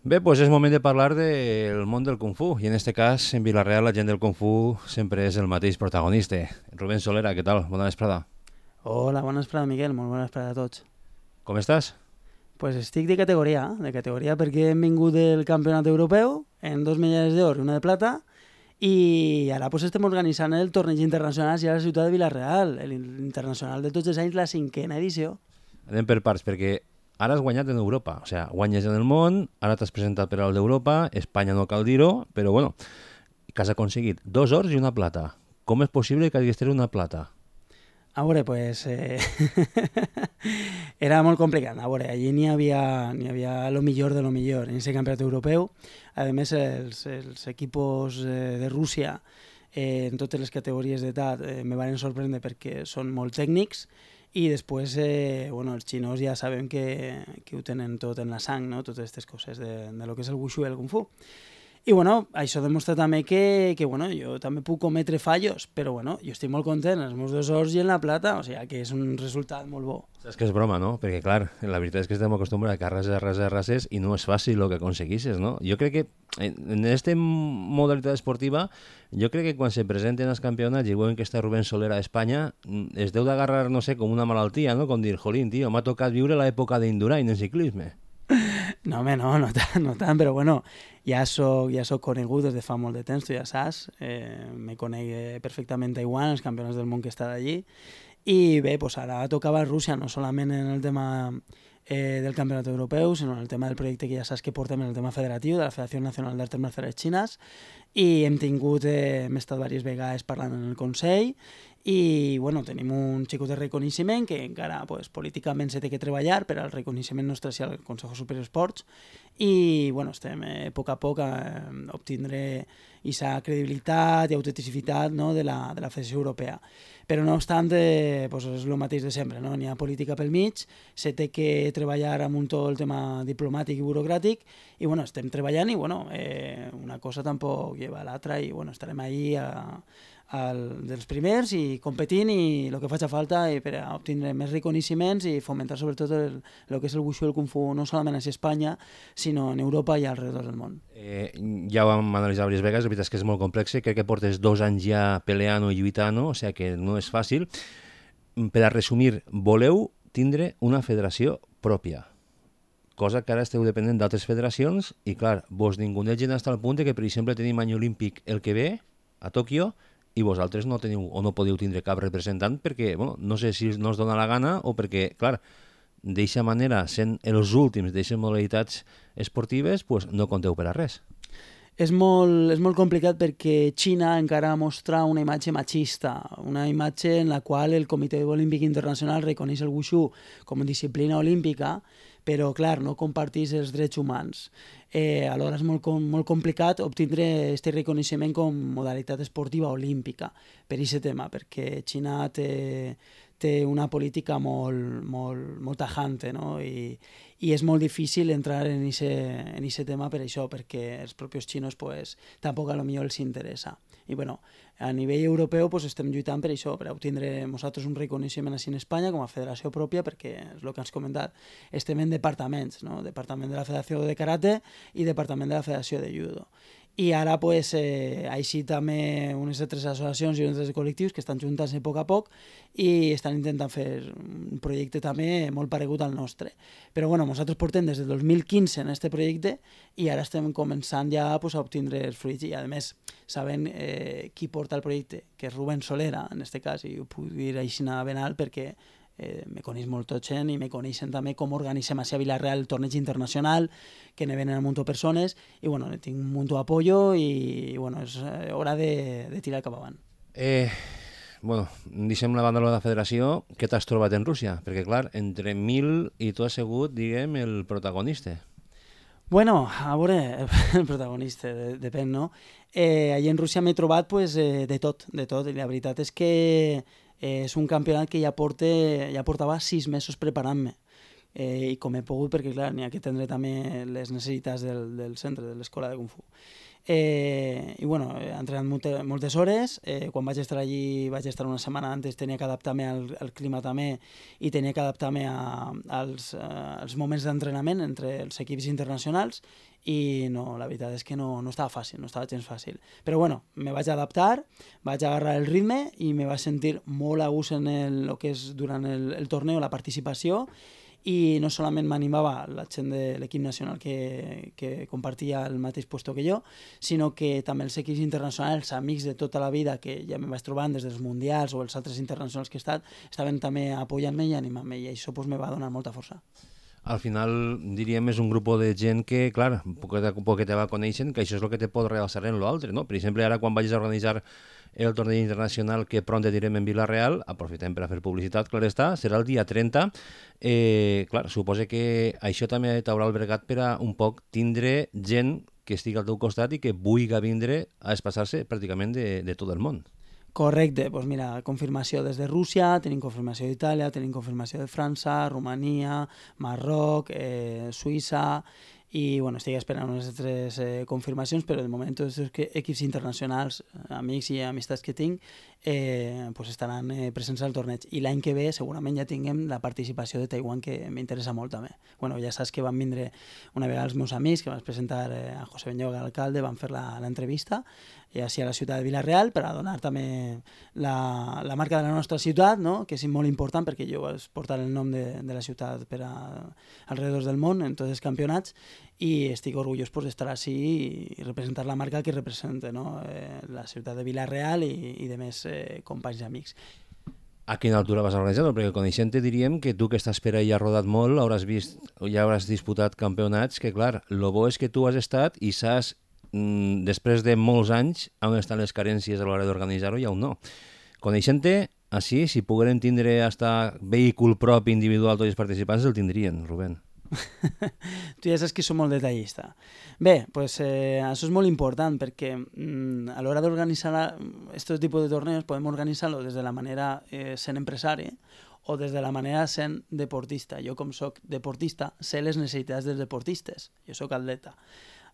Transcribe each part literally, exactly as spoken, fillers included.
Bé, doncs és moment de parlar del món del Kung Fu, i en este cas, en Vilareal, la gent del Kung Fu sempre és el mateix protagonista. Rubén Solera, què tal? Bona vesprada. Hola, bona vesprada, Miquel. Molt bona vesprada a tots. Com estàs? Pues estic de categoria, de categoria perquè hem vingut del campionat europeu en dos medalles d'or i una de plata i ara pues, estem organitzant el torneig internacional a la ciutat de Vilareal, l'internacional de tots els anys, la cinquena edició. Anem per parts, perquè ara has guanyat en Europa, o sigui, guanyes en el món, ara t'has presentat per al d'Europa, Espanya no cal dir-ho, però bueno, que has aconseguit dos ors i una plata. Com és possible que hagués tret una plata? A veure, pues, eh... era molt complicat. A veure, allí n'hi havia, n'hi havia lo millor de lo millor en aquest campionat europeu. A més, els, els equipos eh, de Rússia eh, en totes les categories d'edat eh, me van sorprendre perquè són molt tècnics i després, eh, bueno, els xinos ja sabem que, que ho tenen tot en la sang, no? Totes aquestes coses de, de lo que és el wushu i el kung fu. I bueno, això demostra també que, que bueno, jo també puc cometre fallos, però bueno, jo estic molt content, els meus dos ors i en la plata, o sigui que és un resultat molt bo. Saps que és broma, no? Perquè, clar, la veritat és que estem acostumbrats a rases, rases, rases i no és fàcil el que aconseguisses, no? Jo crec que en aquesta modalitat esportiva, jo crec que quan se presenten els campionats i veuen que està Rubén Solera a Espanya, es deu d'agarrar, no sé, com una malaltia, no? Com dir, jolín, tio, m'ha tocat viure l'època d'Indurain en ciclisme. No, home, no, no tant, no tant, però bueno, ja soc, ja soc conegut des de fa molt de temps, tu ja saps, eh, me conec perfectament Taiwan, els campionats del món que està allí, i bé, pues ara tocava Rússia, no solament en el tema eh, del campionat europeu, sinó en el tema del projecte que ja saps que portem en el tema federatiu, de la Federació Nacional d'Arts Marcials Xines, i hem tingut, eh, hem estat diverses vegades parlant en el Consell, i bueno, tenim un xicot de reconeixement que encara pues, políticament se té que treballar per al reconeixement nostre hacia el Consejo Superior d'Esports i bueno, estem eh, a poc a poc a eh, obtindre aquesta credibilitat i autenticitat no, de, la, de la Federació Europea. Però no obstant, eh, pues, és el mateix de sempre, no? N'hi ha política pel mig, se té que treballar amb un tot el tema diplomàtic i burocràtic i bueno, estem treballant i bueno, eh, una cosa tampoc lleva a l'altra i bueno, estarem ahí a El, dels primers i competint i el que faci falta i per a obtindre més reconeixements i fomentar sobretot el, el que és el wushu i el kung fu no solament a Espanya sinó en Europa i alrededor del món. Eh, ja ho vam analitzar diverses vegades, la veritat és que és molt complex, crec que portes dos anys ja peleant i lluitant, o sigui que no és fàcil. Per a resumir, voleu tindre una federació pròpia, cosa que ara esteu dependent d'altres federacions i clar, vos ningunegen fins al punt que per exemple tenim any olímpic el que ve a Tòquio i vosaltres no teniu o no podeu tindre cap representant perquè, bueno, no sé si no us dona la gana o perquè, clar, d'eixa manera, sent els últims d'eixes modalitats esportives, pues no compteu per a res. És molt, és molt complicat perquè Xina encara mostra una imatge machista, una imatge en la qual el Comitè Olímpic Internacional reconeix el wushu com a disciplina olímpica, però, clar, no compartís els drets humans. Eh, alhora és molt, com, molt complicat obtindre aquest reconeixement com modalitat esportiva olímpica per aquest tema, perquè Xina té, té una política molt, molt, molt tajante, no? I, i és molt difícil entrar en aquest tema per això, perquè els propis xinos pues, tampoc a lo millor els interessa. I bueno, a nivell europeu pues, estem lluitant per això, per obtindre nosaltres un reconeixement així en Espanya com a federació pròpia, perquè és el que has comentat, estem en departaments, no? Departament de la Federació de Karate i Departament de la Federació de Judo. I ara pues, eh, així també unes altres associacions i unes altres col·lectius que estan juntant-se a poc a poc i estan intentant fer un projecte també molt paregut al nostre. Però bueno, nosaltres portem des del dos mil quinze en aquest projecte i ara estem començant ja pues, a obtindre els fruits i a més sabent eh, qui porta el projecte, que és Rubén Solera en aquest cas, i ho puc dir així ben alt perquè Eh, me coneix molt tot gent i me coneixen també com organitzem a Vilareal el torneig internacional, que ne venen un munt de persones i bueno, tinc un munt d'apoyo i, i bueno, és hora de, de tirar cap avant. Eh, bueno, deixem la banda de la federació, què t'has trobat en Rússia? Perquè clar, entre mil i tu has sigut, diguem, el protagonista. Bueno, a veure, el protagonista, de, depèn, no? Eh, allà en Rússia m'he trobat pues, eh, de tot, de tot, i la veritat és que eh, és un campionat que ja, porte, ja portava sis mesos preparant-me. eh, i com he pogut, perquè clar, n'hi ha que atendre també les necessitats del, del centre, de l'escola de Kung Fu. Eh, I bueno, he entrenat molte, moltes hores, eh, quan vaig estar allí vaig estar una setmana antes, tenia que adaptar-me al, al clima també i tenia que adaptar-me a, als, a, als moments d'entrenament entre els equips internacionals i no, la veritat és que no, no estava fàcil, no estava gens fàcil. Però bueno, me vaig adaptar, vaig agarrar el ritme i me vaig sentir molt a gust en el, el que és durant el, el torneo, la participació, i no solament m'animava la gent de l'equip nacional que, que compartia el mateix puesto que jo, sinó que també els equips internacionals, amics de tota la vida que ja me vaig trobant des dels mundials o els altres internacionals que he estat, estaven també apoyant-me i animant-me, i això pues, me va donar molta força. Al final, diríem, és un grup de gent que, clar, poquet a poquet te va coneixent, que això és el que te pot realçar en l'altre, no? Per exemple, ara quan vagis a organitzar el torneig internacional que pront direm en Vila-real, aprofitem per a fer publicitat, clar està, serà el dia trenta. Eh, clar, suposa que això també t'haurà albergat per a un poc tindre gent que estigui al teu costat i que vulgui vindre a espassar-se pràcticament de, de tot el món. Correcte, doncs mira, confirmació des de Rússia, tenim confirmació d'Itàlia, tenim confirmació de França, Romania, Marroc, eh, Suïssa, i bueno, estic esperant unes altres eh, confirmacions, però de moment tots els equips internacionals, amics i amistats que tinc, eh, pues estaran eh, presents al torneig. I l'any que ve segurament ja tinguem la participació de Taiwan, que m'interessa molt també. Bueno, ja saps que van vindre una vegada els meus amics, que van presentar eh, a José Benyoga, l'alcalde, van fer l'entrevista, i així a la ciutat de Vila-real, per a donar també la, la marca de la nostra ciutat, no? Que és molt important perquè jo vaig portar el nom de, de la ciutat per a, alrededor del món en tots els campionats, i estic orgullós pues, d'estar així i representar la marca que representa, no? eh, la ciutat de Vila-real i, i de més eh, companys i amics. A quina altura vas organitzar? Perquè coneixent-te diríem que tu que estàs per ahí has rodat molt, hauràs vist, ja hauràs disputat campionats, que clar, el bo és que tu has estat i saps, mmm, després de molts anys, on estan les carències a l'hora d'organitzar-ho i on no. Coneixent-te, així, si pogueren tindre hasta vehícul propi individual tots els participants, el tindrien, Rubén. Tu ja saps que som molt detallista. Bé, pues, eh, això és molt important perquè mm, a l'hora d'organitzar aquest tipus de torneos podem organitzar-lo des de la manera eh, sent empresari o des de la manera sent deportista. Jo, com soc deportista, sé les necessitats dels deportistes. Jo soc atleta.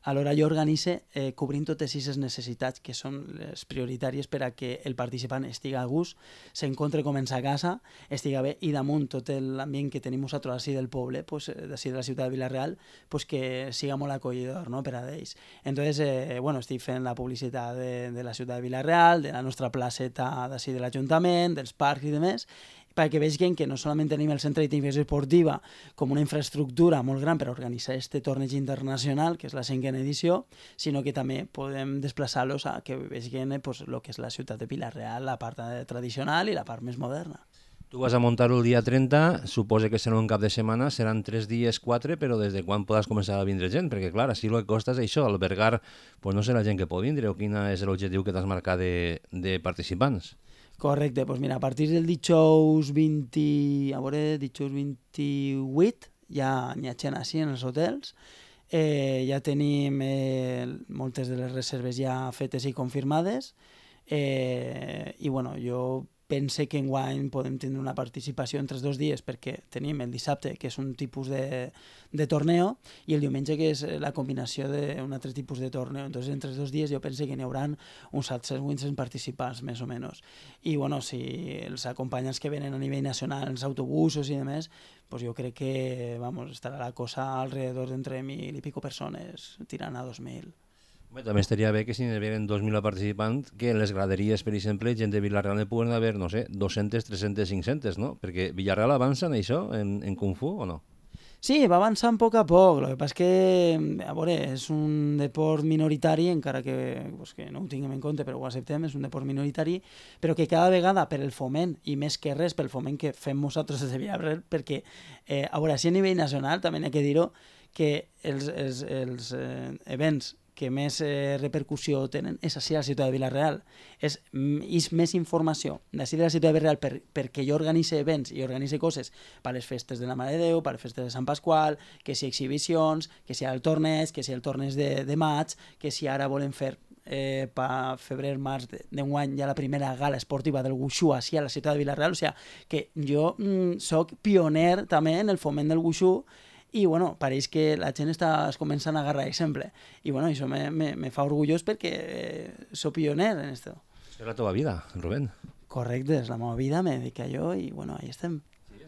Alhora jo organitze eh, cobrint totes aquestes necessitats que són les prioritàries per a que el participant estigui a gust, s'encontre com en sa casa, estigui bé, i damunt tot l'ambient que tenim nosaltres així del poble, pues, d'ací de la ciutat de Vila-real, pues, que siga molt acollidor, no?, per a ells. Entonces, eh, bueno, estic fent la publicitat de, de la ciutat de Vila-real, de la nostra placeta d'ací de l'Ajuntament, dels parcs i demés, perquè vegin que no solament tenim el centre d'activitat esportiva com una infraestructura molt gran per organitzar aquest torneig internacional, que és la cinquena edició, sinó que també podem desplaçar-los a que vegin pues, el que és la ciutat de Vila-real, la part tradicional i la part més moderna. Tu vas a muntar-ho el dia trenta, suposa que serà un cap de setmana, seran tres dies, quatre, però des de quan podràs començar a vindre gent? Perquè, clar, així el que costa és això, albergar, pues no sé la gent que pot vindre o quin és l'objectiu que t'has marcat de, de participants. Correcte, doncs mira, a partir del dijous vint, a veure, dijous vint-i-vuit ja n'hi ha gent així en els hotels, eh, ja tenim eh, moltes de les reserves ja fetes i confirmades, eh, i bueno, jo pense que enguany podem tindre una participació entre els dos dies perquè tenim el dissabte, que és un tipus de, de torneo, i el diumenge, que és la combinació d'un altre tipus de torneo. Entonces, entre els dos dies jo pense que n'hi haurà uns set-cents vuit-cents participants, més o menys. I bueno, si els acompanyants que venen a nivell nacional, els autobusos i demés, pues jo crec que vamos, estarà la cosa alrededor d'entre mil i pico persones, tirant a dos mil. Bé, també estaria bé que si n'hi hagués dos mil participants, que en les graderies, per exemple, gent de Vila-real ne puguen haver, no sé, dues-centes, tres-centes, cinc-centes, no? Perquè Vila-real avança en això, en, en Kung Fu, o no? Sí, va avançant a poc a poc. El que passa és que, a veure, és un deport minoritari, encara que, pues, que no ho tinguem en compte, però ho acceptem, és un deport minoritari, però que cada vegada per el foment, i més que res pel foment que fem nosaltres des de Vila-real, perquè, eh, a veure, si a nivell nacional, també n'hi ha que dir-ho, que els, els, els eh, events que més eh, repercussió tenen és així a la ciutat de Vila-real. És, és més informació d'ací de la ciutat de Vila-real per, perquè jo organitze events i organitze coses per les festes de la Mare de Déu, per les festes de Sant Pasqual, que si exhibicions, que si el torneig, que si el torneig de, de maig, que si ara volem fer eh, per febrer, març d'enguany hi ha la primera gala esportiva del Wushu així a la ciutat de Vila-real, o sigui que jo mm, soc pioner també en el foment del Wushu i bueno, pareix que la gent està es comença a agarrar exemple i bueno, això me, me, me fa orgullós perquè eh, soc pioner en esto. És la teva vida, Rubén. Correcte, és la meva vida, me dedico a jo i bueno, ahí estem.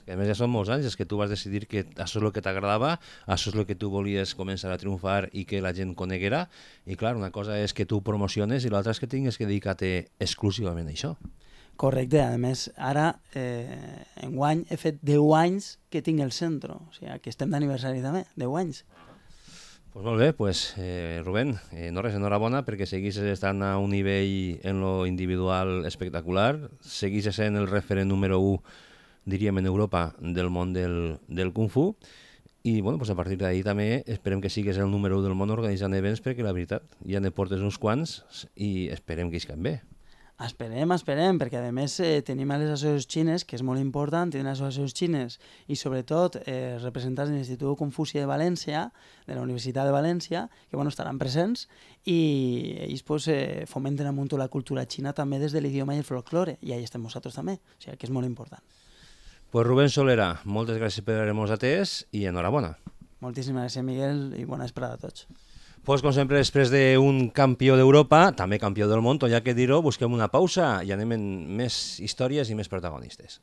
Que a més ja són molts anys, és que tu vas decidir que això és el que t'agradava, això és el que tu volies començar a triomfar i que la gent coneguera, i clar, una cosa és que tu promociones i l'altra és que tingues que dedicar-te exclusivament a això. Correcte, a més, ara, eh, enguany, he fet deu anys que tinc el centre, o sigui, que estem d'aniversari també, deu anys. Pues molt bé, pues, eh, Rubén, eh, no res, enhorabona perquè seguissis estant a un nivell en lo individual espectacular, seguissis sent el referent número u diríem en Europa del món del, del Kung Fu i bueno, pues a partir d'ahí també esperem que sigues el número u del món organitzant events perquè la veritat ja ne portes uns quants i esperem que iscan bé. Esperem, esperem, perquè a més eh, tenim a les associacions xines, que és molt important, tenim associacions xines i sobretot eh, representants de l'Institut Confuci de València, de la Universitat de València, que bueno, estaran presents i ells pues, eh, fomenten amunt la cultura xina també des de l'idioma i el folklore i ahí estem nosaltres també, o sigui que és molt important. Pues Rubén Solera, moltes gràcies per haver-nos atès i enhorabona. Moltíssimes gràcies, Miguel, i bona vesprada a tots. Pues com sempre, després d'un campió d'Europa, també campió del món, tot hi ha que dir-ho, busquem una pausa i anem en més històries i més protagonistes.